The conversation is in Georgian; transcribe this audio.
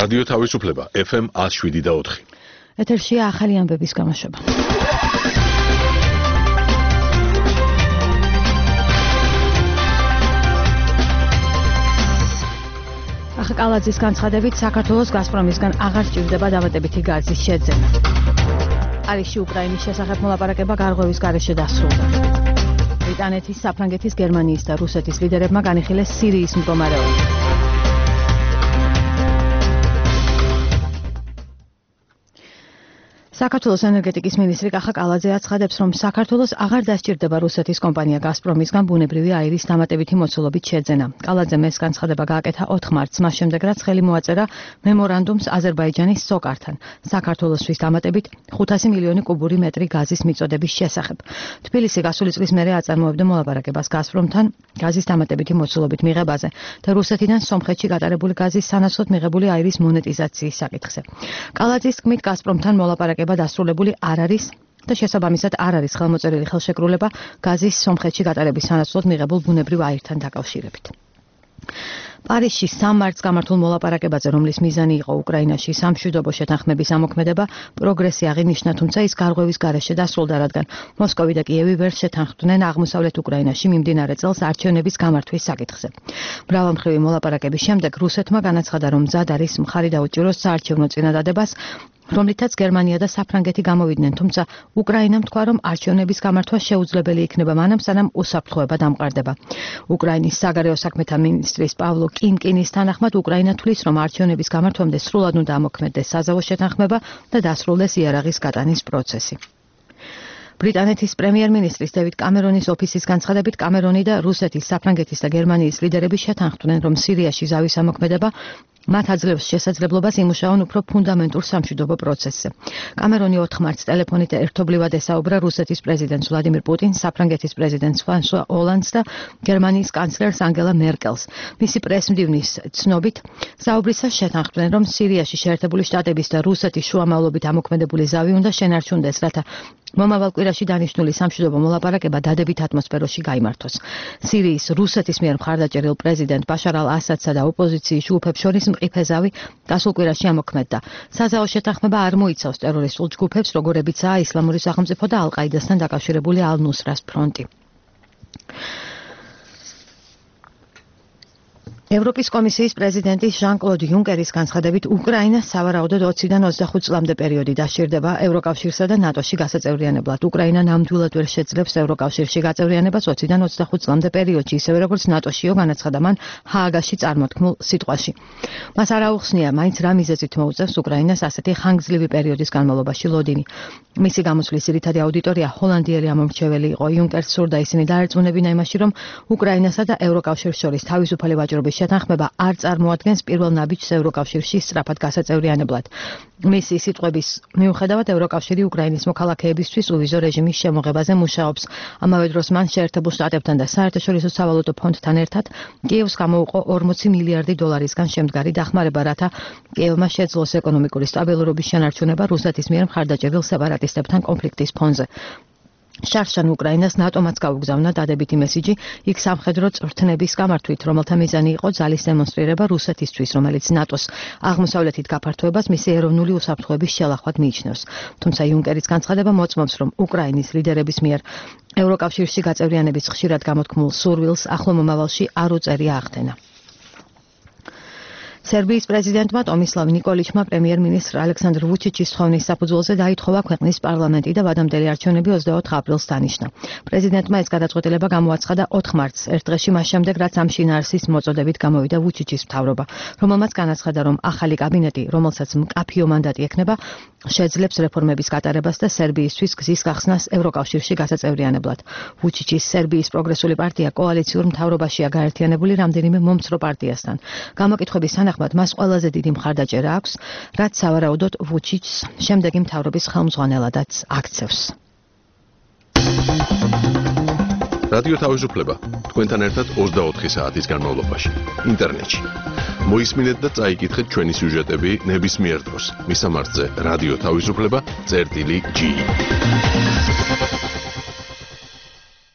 რადიო თავისუფლება FM 107.4. ეთერშია ახალი ამბების გამოშვება. ახალკალაძის განცხადებით საქართველოს გაზპრომისგან აღარ სჭირდება დამატებითი გაზის შეძენა. პარიზში უკრაინის შესახებ მოლაპარაკება გარღვევის გარეშე დასრულდა. ბრიტანეთის, საფრანგეთის, გერმანიის და რუსეთის ლიდერებმა განიხილეს სირიის მდგომარეობა. საქართველოს ენერგეტიკის მინისტრი კახა კალაძე აცხადებს, რომ საქართველოს აღარ დასჭირდება რუსეთის კომპანია გაზპრომისგან ბუნებრივი აირის დამატებითი მოცულობით შეძენა. კალაძემ ეს განცხადება გააკეთა 4 მარტს, მას შემდეგ რაც ხელი მოაწერა მემორანდუმს აზერბაიჯანის სოკართან, საქართველოსთვის დამატებით 500 მილიონი კუბური მეტრი გაზის მიწოდების შესახებ. თბილისი გასული წლის მერე აწარმოებდა მოლაპარაკებას გაზპრომთან გაზის დამატებითი მოცულობით მიღებაზე და რუსეთიდან სომხეთში გატარებული გაზის სანაცვლოდ მიღებული აირის მონეტიზაციის საკითხზე. კალაძის თქმით, გაზპრომთან მოლაპარაკება დასრულებული არ არის და შესაბამისად არ არის ხელმოწერილი ხელშეკრულება გაზის სომხეთში გატარების სანაცვლოდ მიღებულ ბუნებრივ აირთან დაკავშირებით. პარიზში 3 მარტს გამართულ მოლაპარაკებაზე, რომლის მიზანი იყო უკრაინაში სამშვიდობო შეთანხმების ამოქმედება, პროგრესი აღინიშნა, თუმცა ის გარღვევის გარეშე დასრულდა, რადგან მოსკოვი და კიევი ვერ შეთანხმდნენ აღმოსავლეთ უკრაინაში მიმდინარე წელს არჩევნების გამართვის საკითხზე. მრავალმხრივი მოლაპარაკების შემდეგ რუსეთმა განაცხადა, რომ მზად არის მხარი დაუჭიროს საარჩევნო წინადადებას, რომლითაც გერმანია და საფრანგეთი გამოვიდნენ, თუმცა უკრაინამ თქვა, რომ არჩევნების გამართვა შეუძლებელი იქნება მანამ, სანამ უსაფრთხოება დამყარდება. უკრაინის საგარეო საქმეთა მინისტრის პავლო კინკინის თანახმად, უკრაინა თვლის, რომ არჩევნების გამართვამდე სრულად უნდა ამოქმედდეს საზავო შეთანხმება და დასრულდეს იარაღის გატანის პროცესი. ბრიტანეთის პრემიერ-მინისტრის დევიდ კამერონის ოფისის განცხადებით, კამერონი და რუსეთის, საფრანგეთის და გერმანიის ლიდერები შეთანხმდნენ, რომ სირიაში ზავის ამოქმედება მათ აძლევს შესაძლებლობას იმუშაონ უფრო ფუნდამენტურ სამშვიდობო პროცესზე. კამერონი 4 მარტს ტელეფონით ერთობლივად ესაუბრა რუსეთის პრეზიდენტს ვლადიმირ პუტინს, საფრანგეთის პრეზიდენტს ფრანსუა ოლანდს და გერმანიის კანცლერს ანგელა მერკელს. მისი პრესმდივნის ცნობით, საუბრისას შეთანხმდნენ, რომ სირიაში შეერთებული შტატების და რუსეთის შუამავლობით ამოქმედებული ზავი უნდა შენარჩუნდეს, რათა მომავალ კვირაში დანიშნული სამშვიდობო მოლაპარაკება დადებით ატმოსფეროში გაიმართოს. სირიის რუსეთის მიერ მხარდაჭერილ პრეზიდენტ ბაშარ ალ-ასადსა და ოპოზიციის ჯგუფებს შორის მყიფე ზავი გასულ კვირაში ამოქმედდა. საზავო შეთანხმება არ მოიცავს ტერორისტულ ჯგუფებს, როგორებიცაა ისლამური სახელმწიფო და ალ-ყაიდასთან დაკავშირებული ალ-ნუსრას ფრონტი. ევროპის კომისიის პრეზიდენტის ჟან-კლოდ იუნკერის განცხადებით, უკრაინა სავარაუდოდ 20-დან 25 წლამდე პერიოდი დასჭირდება ევროკავშირსა და ნატოში გასაწევრიანებლად. უკრაინა ნამდვილად ვერ შეძლებს ევროკავშირში გაწევრიანებას 20-დან 25 წლამდე პერიოდში, ისევე როგორც ნატოშიო განაცხადა მან ჰააგაში წარმოთქმულ სიტყვაში. მას არ აუხსნია, მაინც რა მიზეზით მოუწევს უკრაინას ასეთი ხანგრძლივი პერიოდის განმავლობაში ლოდინი. მისი გამოსვლის ძირითადი აუდიტორია ჰოლანდიელი ამომრჩეველი იყო. იუნკერს სურდა ისინი დაერწმუნებინა იმაში, რომ უკრაინასა და ევროკავშირს შორის თავისუფალი ვაჭრობის შეთანხმება არ წარმოადგენს პირველ ნაბიჯს ევროკავშირში სწრაფად გასაწევრიანებლად. მისი სიტყვების მიუხედავად, ევროკავშირი უკრაინის მოქალაქეებისთვის უვიზო რეჟიმის შემოღებაზე მუშაობს. ამავე დროს მან შეერთებულ შტატებთან და საერთაშორისო სავალუტო ფონდთან ერთად კიევს გამოუყო 40 მილიარდი დოლარისგან შემდგარი დახმარება, რათა კიევმა შეძლოს ეკონომიკური სტაბილურობის შენარჩუნება რუსეთის მიერ მხარდაჭერილ სეპარატისტებთან კონფლიქტის ფონზე. შარშან უკრაინას ნატომაც გაუგზავნა დადებითი მესიჯი იქ სამხედრო წვრთნების გამართვით, რომელთა მიზანი იყო ძალის დემონსტრირება რუსეთისთვის, რომელიც ნატოს აღმოსავლეთით გაფართოებას მისი ეროვნული უსაფრთხოების შელახვად მიიჩნევს. თუმცა იუნკერის განცხადება მოწმობს, რომ უკრაინის ლიდერების მიერ ევროკავშირში გაწევრიანების ხშირად გამოთქმულ სურვილს ახლო მომავალში არ უწერია ახდენა. სერბიის პრეზიდენტმა ტომისლავ ნიკოლიჩმა პრემიერ-მინისტრ ალექსანდრ ვუჩიჩის თხოვნის საფუძველზე დაითხოვა ქვეყნის პარლამენტი და ვადამდელი არჩევნები 24 აპრილს დანიშნა. პრეზიდენტმა ეს გადაწყვეტილება გამოაცხადა 4 მარტს, ერთ დღეში მას შემდეგ, რაც ამ შინაარსის მოწოდებით გამოვიდა ვუჩიჩის მთავრობა, რომელმაც განაცხადა, რომ ახალი კაბინეტი, რომელსაც მკაფიო მანდატი ექნება, შეძლებს რეფორმების გატარებას და სერბიისთვის გზის გახსნას ევროკავშირში გასაწევრიანებლად. ვუჩიჩის სერბიის პროგრესული პარტია კოალიციურ მთავრობაშია გაერთიანებული რამდენიმე მომცრო პარტიასთან. გამოკითხვების თანახმად მას ყველაზე დიდი მხარდაჭერა აქვს, რაც სავარაუდოდ ვუჩიჩს შემდეგი მთავრობის ხელმძღვანელადაც აქცევს. რადიო თავისუფლება თქვენთან ერთად 24 საათის განმავლობაში ინტერნეტში. მოისმინეთ და წაიკითხეთ ჩვენი სიუჟეტები ნებისმიერ დროს. მისამართზე რადიო თავისუფლება.gi